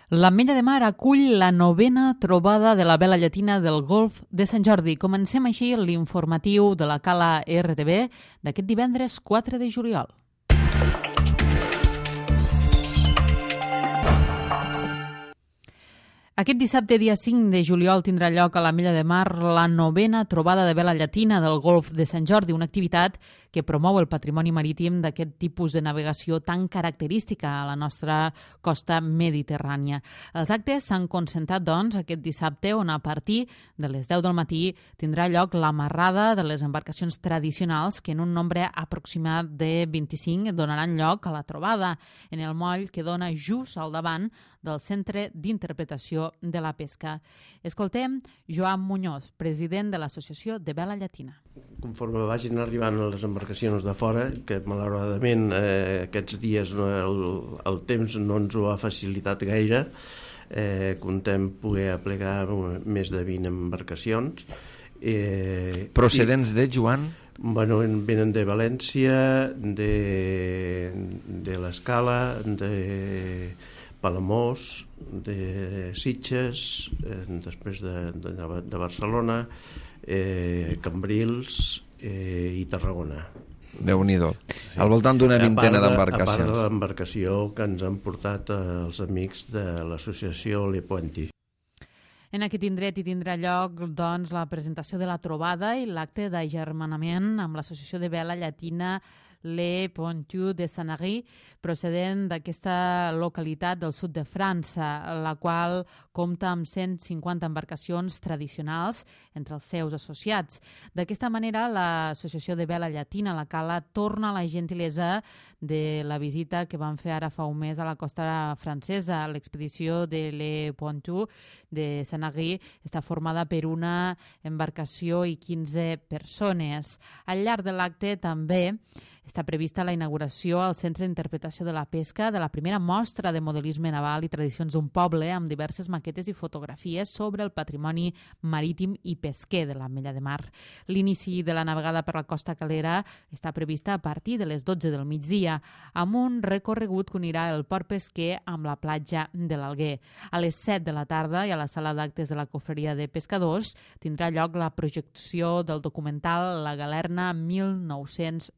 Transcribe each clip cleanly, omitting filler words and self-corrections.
L'Ametlla de Mar acull la 9a trobada de la vela llatina del Golf de Sant Jordi. Comencem així l'informatiu de la Cala RTV d'aquest divendres 4 de juliol. Aquest dissabte, dia 5 de juliol, tindrà lloc a l'Ametlla de Mar la 9a trobada de vela llatina del Golf de Sant Jordi, una activitat que promou el patrimoni marítim d'aquest tipus de navegació tan característica a la nostra costa mediterrània. Els actes s'han concentrat, doncs, aquest dissabte, on a partir de les 10 del matí tindrà lloc l'amarrada de les embarcacions tradicionals que en un nombre aproximat de 25 donaran lloc a la trobada en el moll que dona just al davant del Centre d'Interpretació de la Pesca. Escoltem Joan Muñoz, president de l'Associació de Vela Llatina. Conforme vagin arribant les embarcacions de fora, que malauradament aquests dies el temps no ens ho ha facilitat gaire, contem poder aplegar més de 20 embarcacions. Procedents de, Joan? Bueno, venen de València, de l'Escala, de Palamós, de Sitges, després de Barcelona, Cambrils i Tarragona. Déu-n'hi-do. Sí. Al voltant d'una vintena d'embarcacions. A part de l'embarcació que ens han portat els amics de l'associació Le Pointy. En aquest indret hi tindrà lloc, doncs, la presentació de la trobada i l'acte d'agermanament amb l'Associació de Vela Llatina Le Pointy de Sanary, procedent d'aquesta localitat del sud de França, la qual compta amb 150 embarcacions tradicionals entre els seus associats. D'aquesta manera, l'Associació de Vela Llatina, la Cala, torna a la gentilesa de la visita que van fer ara fa un mes a la costa francesa. L'expedició de Le Pointy de Sanary està formada per una embarcació i 15 persones. Al llarg de l'acte també està prevista la inauguració al Centre d'Interpretació de la Pesca de la primera mostra de modelisme naval i tradicions d'un poble amb diverses maquetes i fotografies sobre el patrimoni marítim i pesquer de l'Ametlla de Mar. L'inici de la navegada per la costa calera està prevista a partir de les 12 del migdia, amb un recorregut que unirà el port pesquer amb la platja de l'Alguer. A les 7 de la tarda i a la sala d'actes de la Cofreria de Pescadors tindrà lloc la projecció del documental La Galerna 1912,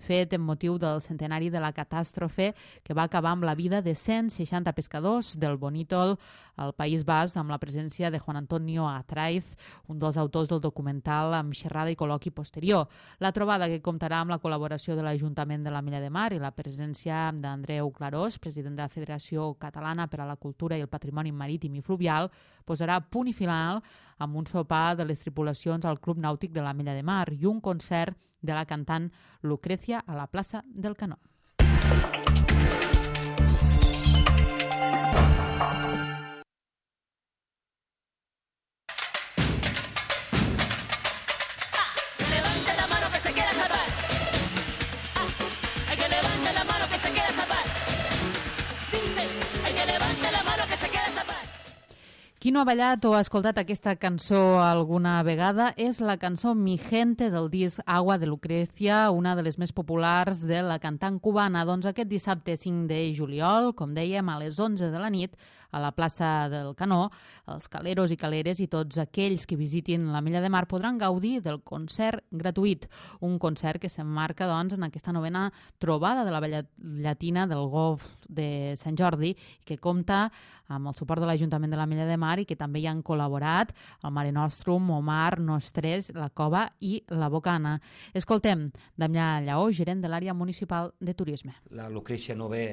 fet en motiu del centenari de la catàstrofe que va acabar amb la vida de 160 pescadors del Bonítol al País Basc, amb la presència de Juan Antonio Atraiz, un dels autors del documental, amb xerrada i col·loqui posterior. La trobada, que comptarà amb la col·laboració de l'Ajuntament de l'Ametlla de Mar i la presència d'Andreu Clarós, president de la Federació Catalana per a la Cultura i el Patrimoni Marítim i Fluvial, posarà punt i final amb un sopar de les tripulacions al Club Nàutic de l'Ametlla de Mar i un concert de la cantant Lucrecia a la plaça del Canó. Qui no ha ballat o ha escoltat aquesta cançó alguna vegada és la cançó Mi Gente del disc Agua de Lucrecia, una de les més populars de la cantant cubana. Doncs aquest dissabte 5 de juliol, com dèiem, a les 11 de la nit, a la plaça del Canó, els caleros i caleres i tots aquells que visitin l'Ametlla de Mar podran gaudir del concert gratuït. Un concert que s'emmarca, doncs, en aquesta 9a trobada de la vela llatina del Golf de Sant Jordi i que compta amb el suport de l'Ajuntament de l'Ametlla de Mar i que també hi han col·laborat el Mare Nostrum, Omar, Nostres, la Cova i la Bocana. Escoltem Damià Lleó, gerent de l'àrea municipal de turisme. La Lucrecia no ve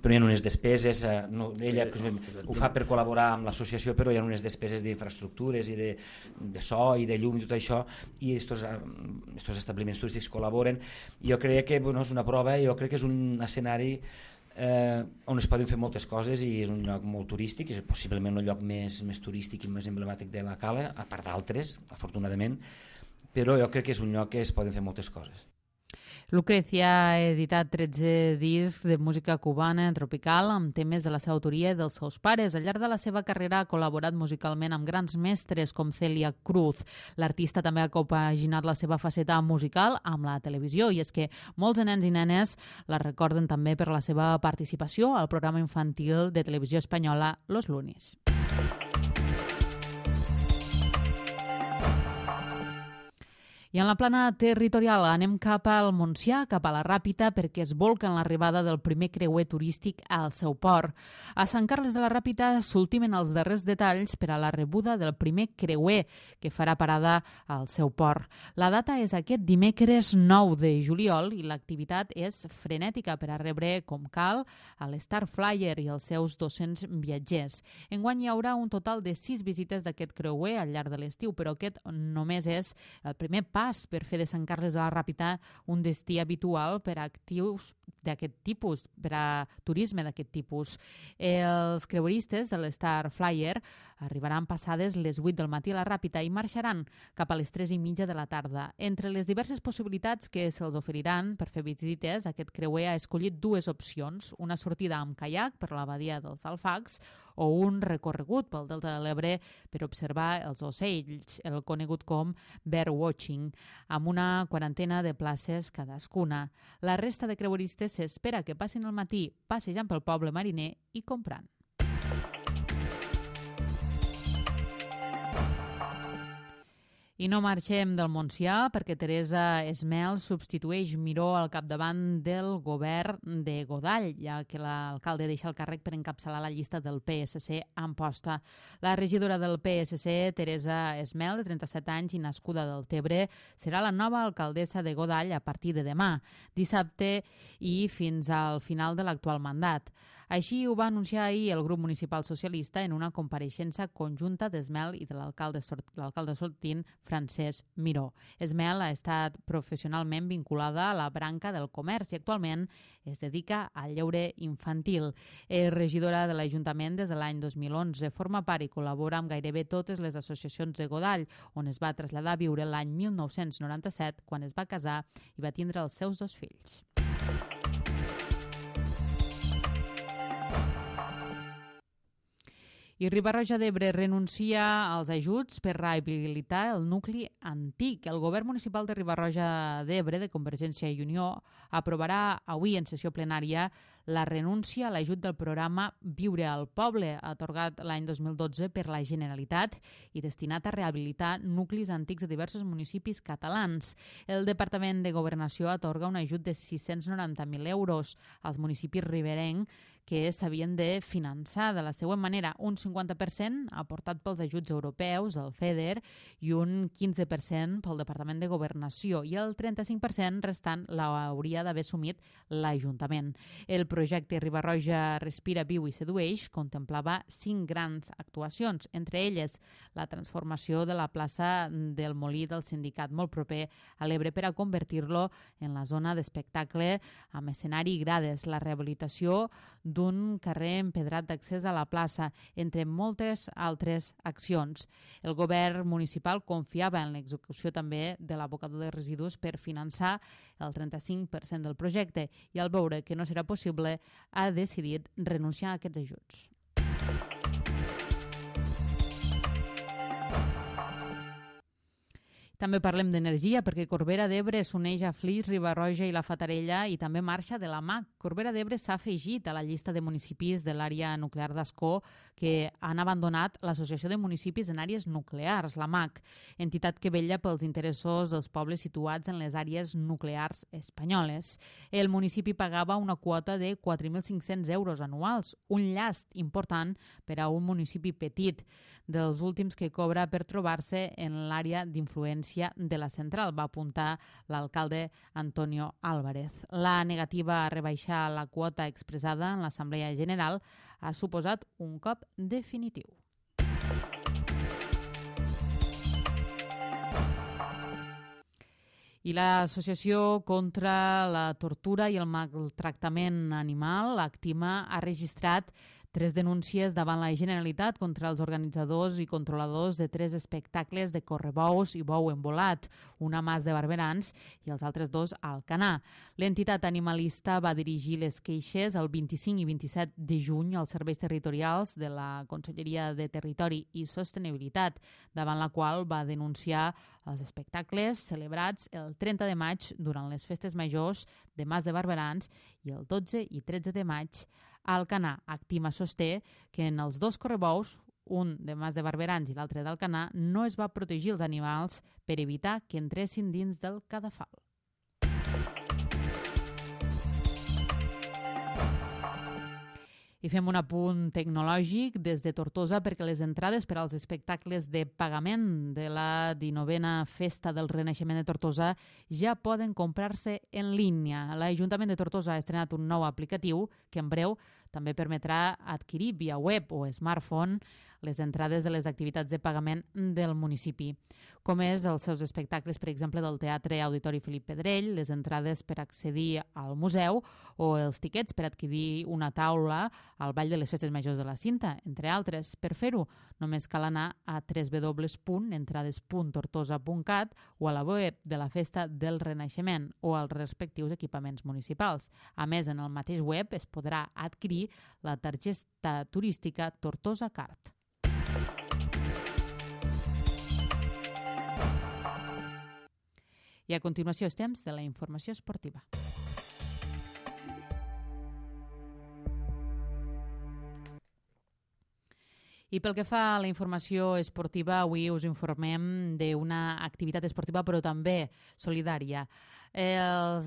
prenent unes despeses, ella ho fa per col·laborar amb l'associació, però hi ha unes despeses d'infraestructures i de so i de llum i tot això, i estos establiments turístics col·laboren. Jo crec que és una prova, jo crec que és un escenari on es poden fer moltes coses i és un lloc molt turístic, és possiblement el lloc més turístic i més emblemàtic de la Cala, a part d'altres, afortunadament, però jo crec que és un lloc que es poden fer moltes coses. Lucrecia ha editat 13 discs de música cubana tropical amb temes de la seva autoria i dels seus pares. Al llarg de la seva carrera ha col·laborat musicalment amb grans mestres com Celia Cruz. L'artista també ha compaginat la seva faceta musical amb la televisió i és que molts nens i nenes la recorden també per la seva participació al programa infantil de televisió espanyola Los Lunis. I en la plana territorial anem cap al Montsià, cap a la Ràpita, perquè es volca en l'arribada del primer creuer turístic al seu port. A Sant Carles de la Ràpita s'ultimen els darrers detalls per a la rebuda del primer creuer que farà parada al seu port. La data és aquest dimecres 9 de juliol i l'activitat és frenètica per a rebre com cal a l'Star Flyer i els seus 200 viatgers. Enguany hi haurà un total de 6 visites d'aquest creuer al llarg de l'estiu, però aquest només és el primer pas per fer de Sant Carles de la Ràpita un destí habitual per a actius d'aquest tipus, per a turisme d'aquest tipus. Els creueristes de l'Star Flyer arribaran passades les 8 del matí a la Ràpita i marxaran cap a les 3:30 de la tarda. Entre les diverses possibilitats que se'ls oferiran per fer visites, aquest creuer ha escollit dues opcions, una sortida amb caiac per la badia dels Alfacs o un recorregut pel Delta de l'Ebre per observar els ocells, el conegut com birdwatching, amb una quarantena de places cadascuna. La resta de creueristes s'espera que passin el matí passejant pel poble mariner i comprant. I no marxem del Montsià perquè Teresa Esmel substitueix Miró al capdavant del govern de Godall, ja que l'alcalde deixa el càrrec per encapçalar la llista del PSC a Amposta. La regidora del PSC, Teresa Esmel, de 37 anys i nascuda del Tebre, serà la nova alcaldessa de Godall a partir de demà, dissabte i fins al final de l'actual mandat. Així ho va anunciar ahir el grup municipal socialista en una compareixença conjunta d'Esmel i de l'alcalde sortint Francesc Miró. Esmel ha estat professionalment vinculada a la branca del comerç i actualment es dedica al lleure infantil. És regidora de l'Ajuntament des de l'any 2011, forma part i col·labora amb gairebé totes les associacions de Godall, on es va traslladar a viure l'any 1997 quan es va casar i va tindre els seus 2 fills. I Riba-roja d'Ebre renuncia als ajuts per rehabilitar el nucli antic. El govern municipal de Riba-roja d'Ebre, de Convergència i Unió, aprovarà avui en sessió plenària la renúncia a l'ajut del programa Viure al Poble, atorgat l'any 2012 per la Generalitat i destinat a rehabilitar nuclis antics de diversos municipis catalans. El Departament de Governació atorga un ajut de 690.000 euros als municipis riberencs que s'havien de finançar de la següent manera: un 50% aportat pels ajuts europeus, el FEDER, i un 15% pel Departament de Governació, i el 35% restant l'hauria d'haver assumit l'Ajuntament. El projecte Riba-roja Respira, Viu i Sedueix contemplava 5 grans actuacions, entre elles la transformació de la plaça del Molí del Sindicat, molt proper a l'Ebre, per a convertir-lo en la zona d'espectacle amb escenari i grades, la rehabilitació d'un carrer empedrat d'accés a la plaça, entre moltes altres accions. El govern municipal confiava en l'execució també de l'abocador de residus per finançar el 35% del projecte i al veure que no serà possible ha decidit renunciar a aquests ajuts. També parlem d'energia perquè Corbera d'Ebre s'uneix a Flix, Riba-roja i la Fatarella i també marxa de la MAC. Corbera d'Ebre s'ha afegit a la llista de municipis de l'àrea nuclear d'Ascó que han abandonat l'Associació de Municipis en Àrees Nuclears, la MAC, entitat que vetlla pels interessos dels pobles situats en les àrees nuclears espanyoles. El municipi pagava una quota de 4.500 euros anuals, un llast important per a un municipi petit, dels últims que cobra per trobar-se en l'àrea d'influència de la central, va apuntar l'alcalde Antonio Álvarez. La negativa a rebaixar la quota expressada en l'Assemblea General ha suposat un cop definitiu. I l'Associació contra la Tortura i el Maltractament Animal, l'ACTIMA, ha registrat 3 denúncies davant la Generalitat contra els organitzadors i controladors de 3 espectacles de correbous i bou embolat, una a Mas de Barberans i els altres 2 a Alcanar. L'entitat animalista va dirigir les queixes el 25 i 27 de juny als serveis territorials de la Conselleria de Territori i Sostenibilitat, davant la qual va denunciar els espectacles celebrats el 30 de maig durant les festes majors de Mas de Barberans i el 12 i 13 de maig a Alcanar. Actima sosté que en els 2 correbous, un de Mas de Barberans i l'altre d'Alcanar, no es va protegir els animals per evitar que entressin dins del cadafal. I fem un apunt tecnològic des de Tortosa perquè les entrades per als espectacles de pagament de la 19a Festa del Renaixement de Tortosa ja poden comprar-se en línia. L'Ajuntament de Tortosa ha estrenat un nou aplicatiu que en breu també permetrà adquirir via web o smartphone les entrades de les activitats de pagament del municipi, com és els seus espectacles, per exemple, del Teatre Auditori Felip Pedrell, les entrades per accedir al museu o els tiquets per adquirir una taula al Ball de les Festes Majors de la Cinta, entre altres. Per fer-ho, només cal anar a www.entrades.tortosa.cat o a la web de la Festa del Renaixement o als respectius equipaments municipals. A més, en el mateix web es podrà adquirir la targeta turística Tortosa Card. I a continuació és temps de la informació esportiva. I pel que fa a la informació esportiva, avui us informem d'una activitat esportiva però també solidària. Les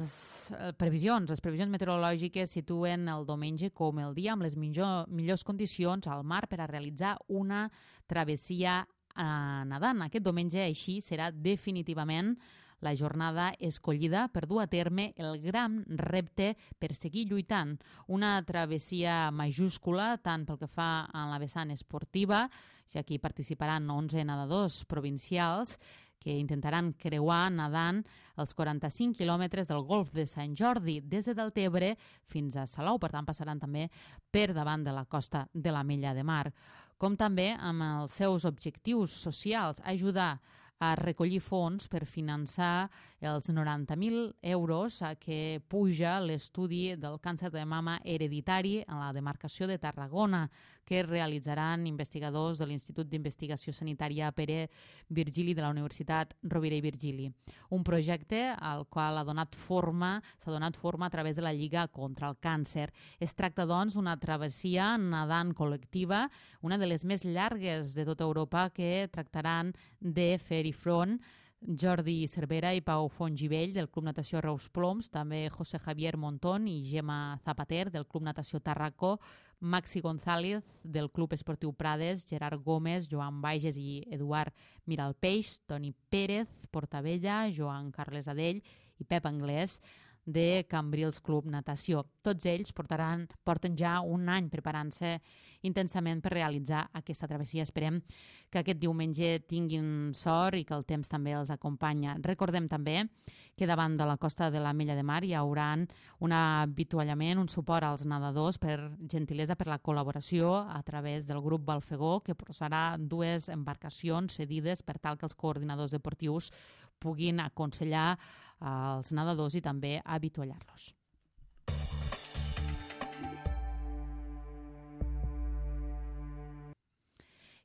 previsions meteorològiques situen el diumenge com el dia amb les millors condicions al mar per a realitzar una travessia nedant. Aquest diumenge així serà definitivament la jornada escollida per dur a terme el gran repte per seguir lluitant. Una travessia majúscula tant pel que fa a la vessant esportiva, ja que hi participaran 11 nedadors provincials que intentaran creuar nedant els 45 quilòmetres del Golf de Sant Jordi des de Deltebre fins a Salou. Per tant, passaran també per davant de la costa de l'Ametlla de Mar. Com també amb els seus objectius socials, ajudar a recollir fons per finançar els 90.000 euros a què puja l'estudi del càncer de mama hereditari a la demarcació de Tarragona, que realitzaran investigadors de l'Institut d'Investigació Sanitària Pere Virgili de la Universitat Rovira i Virgili. Un projecte al qual s'ha donat forma a través de la Lliga contra el Càncer. Es tracta, doncs, d'una travessia nedant col·lectiva, una de les més llargues de tota Europa, que tractaran de fer-hi front Jordi Cervera i Pau Fontgivell del Club Natació Reus Ploms, també José Javier Montón i Gemma Zapater del Club Natació Tarraco, Maxi González del Club Esportiu Prades, Gerard Gómez, Joan Bages i Eduard Miralpeix, Toni Pérez, Portabella, Joan Carles Adell i Pep Anglès de Cambrils Club Natació. Tots ells porten ja un any preparant-se intensament per realitzar aquesta travessia. Esperem que aquest diumenge tinguin sort i que el temps també els acompanya. Recordem també que davant de la costa de l'Ametlla de Mar hi haurà un avituallament, un suport als nedadors per gentilesa per la col·laboració a través del grup Balfegó, que posarà 2 embarcacions cedides per tal que els coordinadors deportius puguin aconsellar als nedadors i també avituallar-los.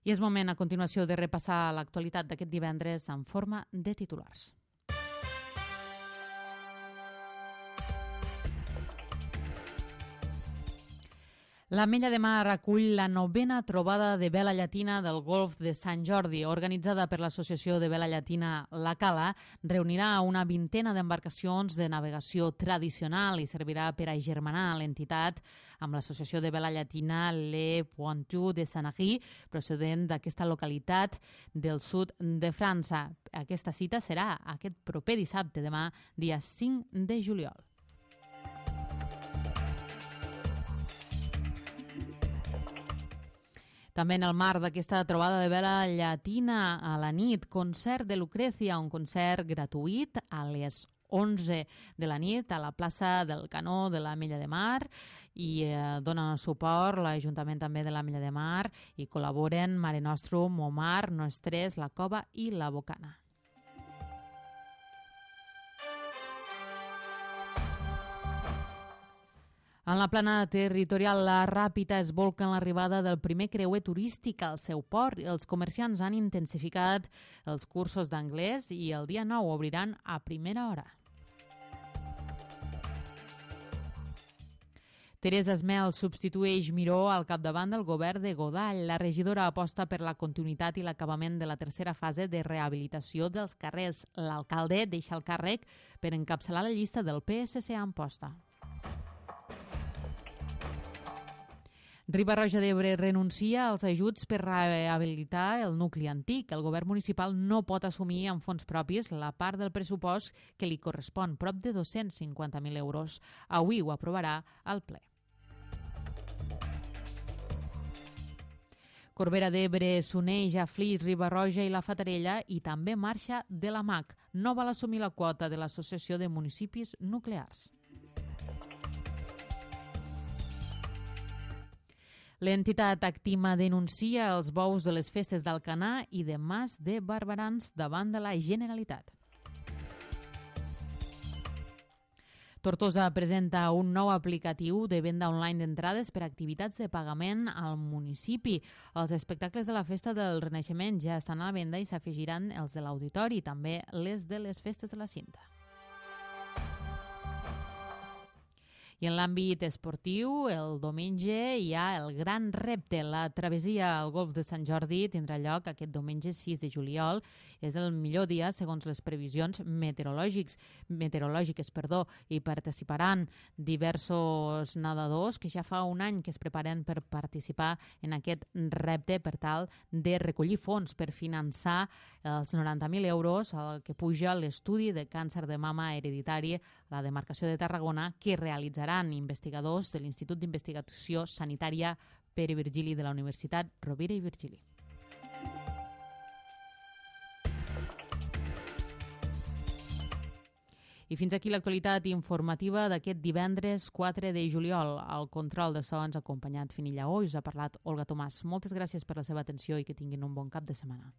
I és moment a continuació de repassar l'actualitat d'aquest divendres en forma de titulars. L'Ametlla de Mar acull la 9a trobada de vela llatina del Golf de Sant Jordi, organitzada per l'Associació de Vela Llatina La Cala. Reunirà una 20a d'embarcacions de navegació tradicional i servirà per agermanar l'entitat amb l'Associació de Vela Llatina Le Pointu de Sanary, procedent d'aquesta localitat del sud de França. Aquesta cita serà aquest proper dissabte, demà, dia 5 de juliol. També en el marc d'aquesta trobada de vela llatina a la nit, concert de Lucrecia, un concert gratuït a les 11 de la nit a la plaça del Canó de l'Ametlla de Mar i dona suport l'Ajuntament també de l'Ametlla de Mar i col·laboren Mare Nostrum, Omar, Nostres, La Cova i La Bocana. En la plana territorial, la Ràpita es volca en l'arribada del primer creuer turístic al seu port. Els comerciants han intensificat els cursos d'anglès i el dia 9 obriran a primera hora. Teresa Esmel substitueix Miró al capdavant del govern de Godall. La regidora aposta per la continuïtat i l'acabament de la tercera fase de rehabilitació dels carrers. L'alcalde deixa el càrrec per encapçalar la llista del PSC a Amposta. Riba-roja d'Ebre renuncia als ajuts per rehabilitar el nucli antic. El govern municipal no pot assumir amb fons propis la part del pressupost que li correspon, prop de 250.000 euros. Avui ho aprovarà el ple. Corbera d'Ebre s'uneix a Flix, Riba-roja i la Fatarella i també marxa de la MAC. No vol assumir la quota de l'Associació de Municipis Nuclears. L'entitat Actima denuncia els bous de les festes d'Alcanar i de Mas de Barberans davant de la Generalitat. Tortosa presenta un nou aplicatiu de venda online d'entrades per a activitats de pagament al municipi. Els espectacles de la Festa del Renaixement ja estan a la venda i s'afegiran els de l'auditori, també les de les festes de la Cinta. I en l'àmbit esportiu, el diumenge hi ha el gran repte. La travessia al golf de Sant Jordi tindrà lloc aquest diumenge 6 de juliol. És el millor dia segons les previsions meteorològiques, i participaran diversos nedadors que ja fa un any que es preparen per participar en aquest repte per tal de recollir fons per finançar els 90.000 euros que puja l'estudi de càncer de mama hereditari a la demarcació de Tarragona que realitzarà investigadors de l'Institut d'Investigació Sanitària Pere Virgili de la Universitat Rovira i Virgili. I fins aquí l'actualitat informativa d'aquest divendres 4 de juliol. Al control de so ens ha acompanyat Fini Lleó i us ha parlat Olga Tomàs. Moltes gràcies per la seva atenció i que tinguin un bon cap de setmana.